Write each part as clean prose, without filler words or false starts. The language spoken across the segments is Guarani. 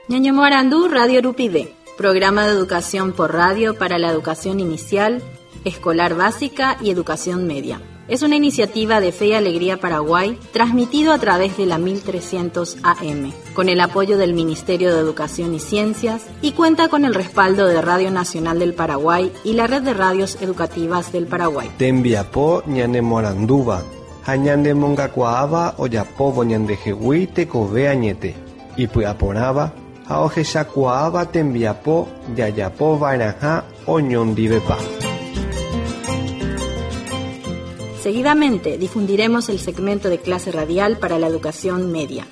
Ñañemoarandu Radio Rupive, programa de educación por radio para la educación inicial, escolar básica y educación media. Es una iniciativa de Fe y Alegría Paraguay, transmitido a través de la 1300 AM, con el apoyo del Ministerio de Educación y Ciencias y cuenta con el respaldo de Radio Nacional del Paraguay y la Red de Radios Educativas del Paraguay. Tembiapo ñanemoarandúva ha ñanemongakuaáva ojapóvo ñandehegui tekove añete, ipy'aporãva ha ohechakuaáva tembiapo jajapova'erãha oñondivepa. Seguidamente difundiremos el segmento de clase radial para la educación media.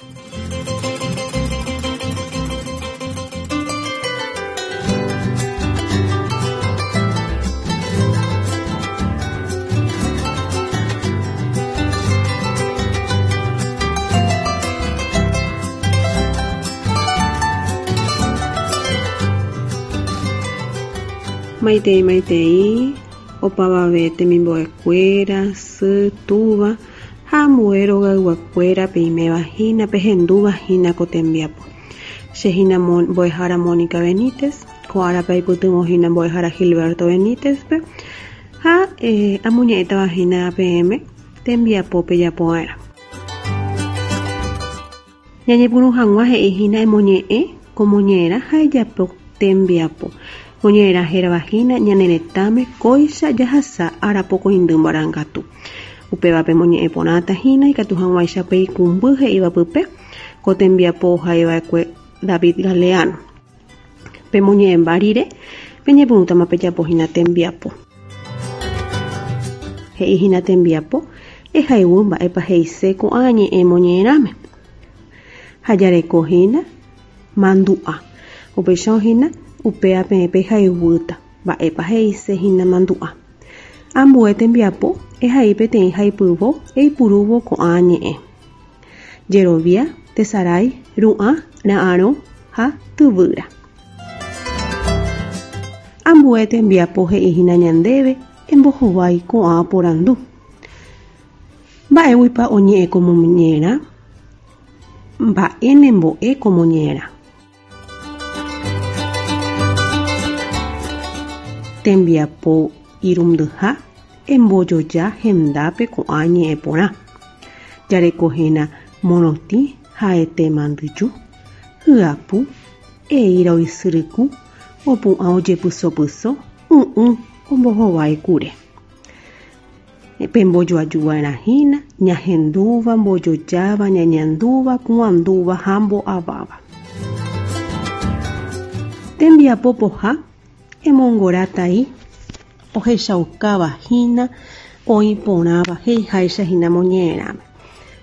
Maitei maitei, opavave temimbo'ekuéra, sy, túva ha ambue rogayguakuéra peiméva hína pehendúva hína ko tembiapo. Che hína mbo'ehára Mónica Benítez, ko árape aipytyvõ hína mbo'ehára Gilberto Benítez-pe ha amoñe'ẽtava hína peẽme tembiapo pejapova'erã. Ñañepyrũ hag̃ua he'i hína emoñe'ẽ ko moñe'ẽrã ha ejapo tembiapo. Moñe'ẽrã hérava hína ñane retãme kóicha jahasa ára pokõindy marangatu. Upéva pemoñe'ẽ porãta hína ikatu hag̃uáicha peikũmby he'íva pype ko tembiapo ohaiva'ekue David Galeano. Pemoñe'ẽmba rire, peñepyrũtama pejapo hína tembiapo. He'i hína tembiapo, ehayhu mba'épa he'ise ko'ã ñe'ẽ moñe'ẽrãme. Ha jareko hína mandu'a. Upéicha hína upéva peẽ pehayhúta mba'épa he'ise hína mandu'a. Ambue tembiapo, ehai peteĩ haipyvo eipurúvo ko'ã ñe'ẽ. Jerovia, tesarái, ru'ã, ra'arõ ha tyvýra. Ambue tembiapo he'i hína ñandéve embohovái ko'ã porandu. Mba'éguipa oñe'ẽ ko moñe'ẽrã? Mba'e nembo'e ko moñe'ẽrã? Tembiapo irundyha embojoja hendápe ko'ã ñe'ẽ porã. Jareko hína morotĩ ha'ete mandyju, hyapu, eíra oisyryku, opu'ã ojepysopyso, y'ỹ ombohovái kure. Pembojoaju va'erã hína ñahendúva, mbojojáva, ñañandúva, pu'andúva ha mbo'aváva. Tembiapo poha emongora tai ohechaukáva hína oĩ porãva he'iháicha hína moñe'ẽrãme.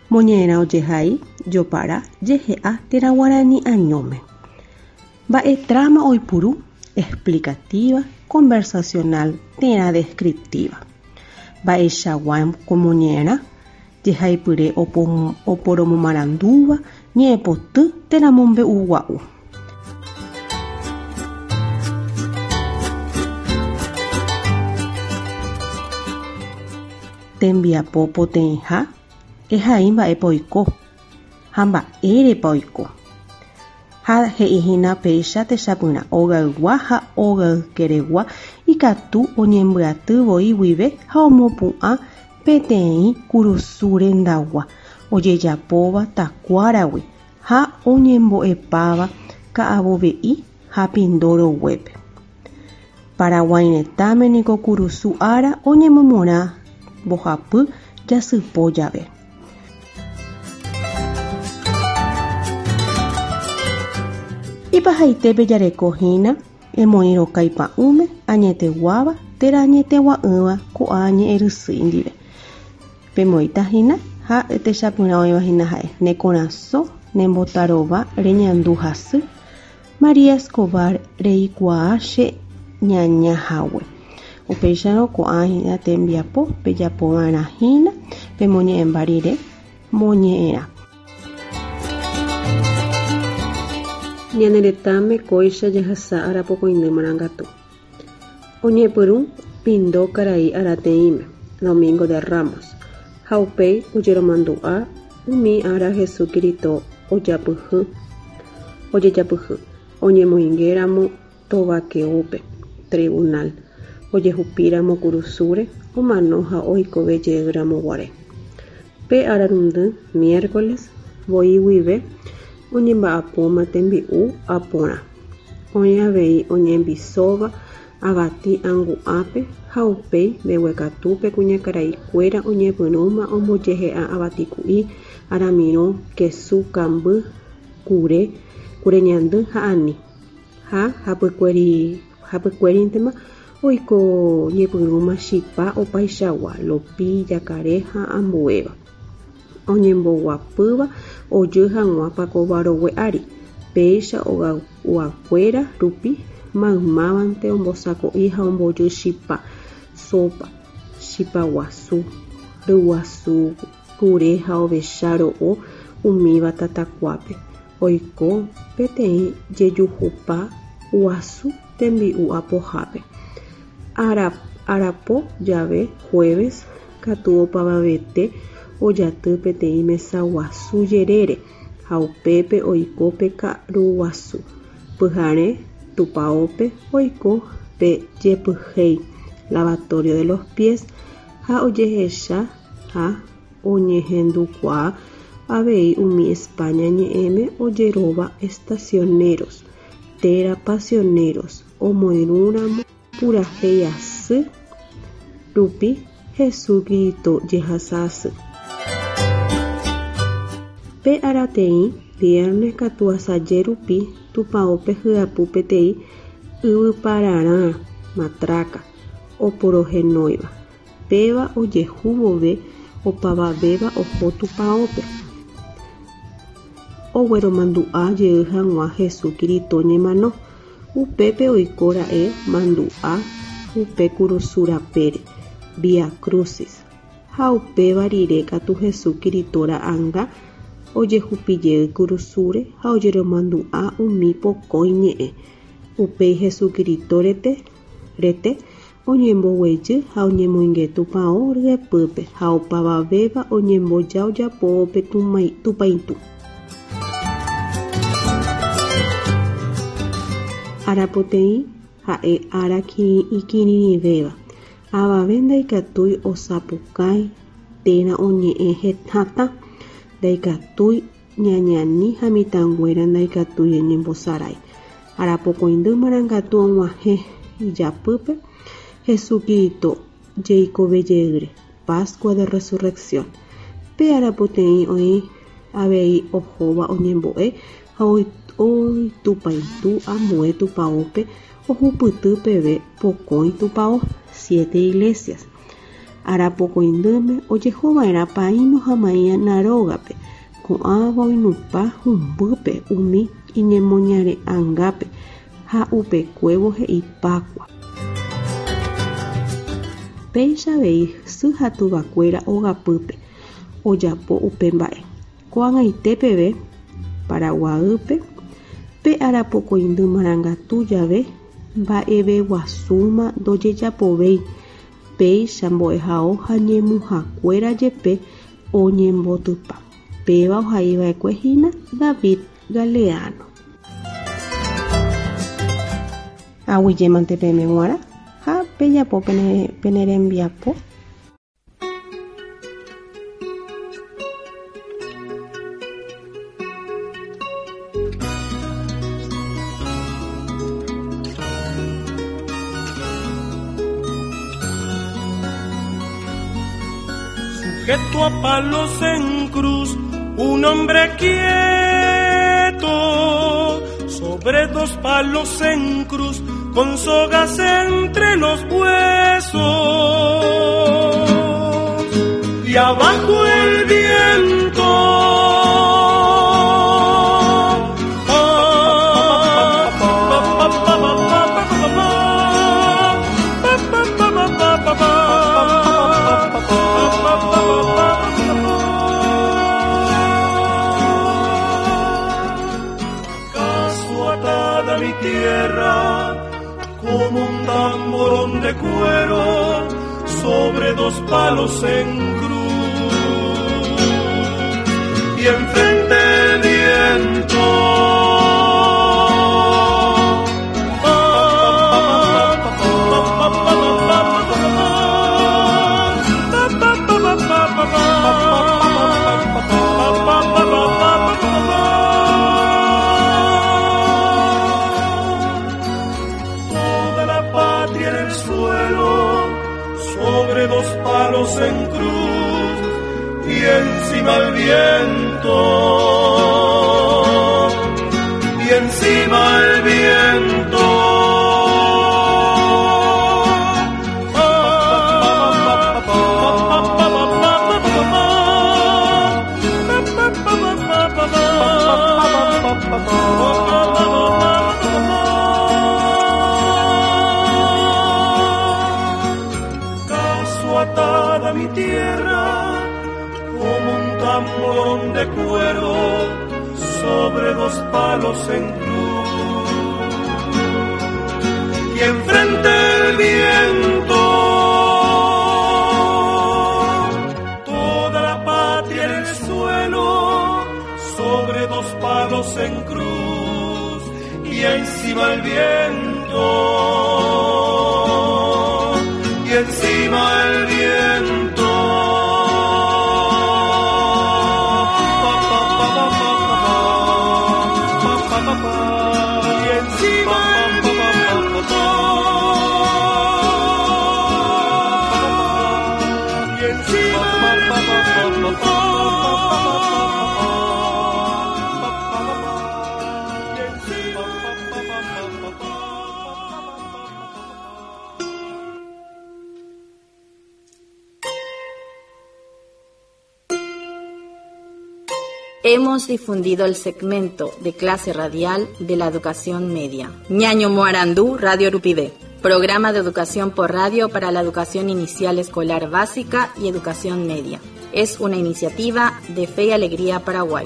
Moñe'ẽrã ojehai, jopara, jehe'a térã guarani añóme. Mba'e trama oipuru, explicativa, conversacional térã descriptiva. Mba'eichagua ko moñe'ẽrã, jehaipyre oporomomarandúva, ñe'ẽpoty térã mombe'ugua'u. Tembiapo poteĩha, ehai mba'épa oiko ha mba'érepa oiko. Ha he'i hína péicha techapyrã ogaygua ha ogaykeregua ikatu oñembyaty voi guive ha omopu'ã peteĩ kurusu rendagua ojejapóva takuáragui ha oñembo'epáva ka'avove'i ha pindo roguépe. Paraguái retãme niko kurusu ára oñemomorã mbohapy jasypo jave. Ipahaitépe jareko hína emoĩ rokái pa'ũme añeteguáva térã añetegua'ỹva ko'ã ñe'ẽrysýi ndive. Pemoĩta hína ha techapyrã oĩva hína ha'e, ne korasõ nembotarova reñandu hasy, María Escobar reikuaa che ñaña hague. Upéicharõ ko'ã hína tembiapo pejapova'erã hína pemoñe'ẽmba rire moñe'ẽrã. Ñane retãme kóicha jahasa arapokõindy marangatu. Oñepyrũ Pindo karai arateĩme, Domingo de Ramos, ha upéi ojeromandu'a umi ára Hesu Kirito ojapyhy. ojejapyhy, oñemoingéramo tovakeópe, tribunal, ojehupíramo kurusúre, omano ha oikovejeyramoguare. Pe ararundy, miércoles, voi guive oñemba'apóma tembi'u aporã. Oĩ avei oñembisóva avati angu'ápe ha upéi mbeguekatúpe kuñakaraikuéra oñepyrũma ombojehe'a avati ku'i, aramirõ, kesu, kamby, kure, kure ñandy ha ani. Ha hapykuérintema oiko ñepyrũma chipa opaichagua, lopi, jakare ha ambuéva. Oñemboguapýva ojy hag̃ua pakova rogue ári. Péicha ogayguakuéra rupi maymávante ombosako'i ha ombojy chipa, sopa, chipa guasu, ryguasu, kure ha ovecha ro'o umíva tatakuápe. Oiko peteĩ jejuhupa guasu tembi'u apohápe. Arapo jave, jueves, katu opavavete ojaty peteĩ mesa guasu jerére ha upépe oiko pe karu guasu. Pyhare tupãópe oiko pe jepyhéi, lavatorio de los pies, ha ojehecha ha oñehendukuaa avei umi España ñe'ẽme ojeróva estacioneros térã pasioneros omoirũramo purahéi asy rupi Hesu Kirito jehasa asy. Pe arateĩ, viernes katu asaje rupi tupãópe hyapu peteĩ yvypararã, matraca, oporohenóiva. Péva ojehu vove opavavéva oho tupãópe. Ogueromandu'a jey hag̃ua Hesu Kirito ñemano. Upépe oiko ra'e mandu'a upe kurusu rapére, Via Crucis. Ha upéva rire katu Hesu Kirito ra'anga ojehupijey kurusúre ha ojeromandu'a umi pokõi ñe'ẽ. Upéi Hesu Kirito rete, rete oñemboguejy ha oñemoinge tupão ryepýpe ha opavavéva oñemboja ojapóvo pe tupãitũ. Arapoteĩ ha'e ára ikirirĩvéva. Avave ndaikatúi osapukái térã oñe'ẽ hatã, ndaikatúi ñañani ha mitãnguéra ndaikatúi oñembosarái. Arapokõindy marangatu og̃uahẽ ijapýpe Hesu Kirito jeikovejeýre, Pascua de Resurrección. Pe arapoteĩ oĩ avei ohóva oñembo'e ha oitupãitũ ambue tupãópe ohupyty peve pokõi tupão, siete iglesias. Arapokõindýme ojehova'erã paíno ha maína rógape, ko'ãva oinupã humbýpe umi iñemoñare'angápe ha upekuévo he'i Pascua. Péicha avei sy ha tuvakuéra ogapýpe ojapo upe mba'e. Ko'ag̃aite peve Paraguaýpe pe arapokõindy marangatu jave mba'eveguasúma ndojejapovéi, péicha mbo'ehao ha ñemuhakuéra jepe oñembotypa. Péva ohaiva'ekue hína David Galeano. Aguyjémante peẽme g̃uarã ha pejapo pene rembiapo. Sujeto a palos en cruz, un hombre quieto, sobre dos palos en cruz, con sogas entre los huesos. Y abajo el viento. Acaso atada mi tierra como un tamborón de cuero sobre dos palos en cruz y enfrente el viento. palos en cruz y encima el viento, y encima el viento. Caso atada mi tierra como un tamborón de cuero sobre dos palos en cruz. Y enfrente el viento, toda la patria en el suelo, sobre dos palos en cruz, y encima el viento, y encima el viento. Y encima el viento. Y encima el viento. Y encima Hemos difundido el segmento de clase radial de la educación media. Ñaño Moarandú, Radio Rupivé. Programa de educación por radio para la educación inicial escolar básica y educación media. Es una iniciativa de Fe y Alegría Paraguay.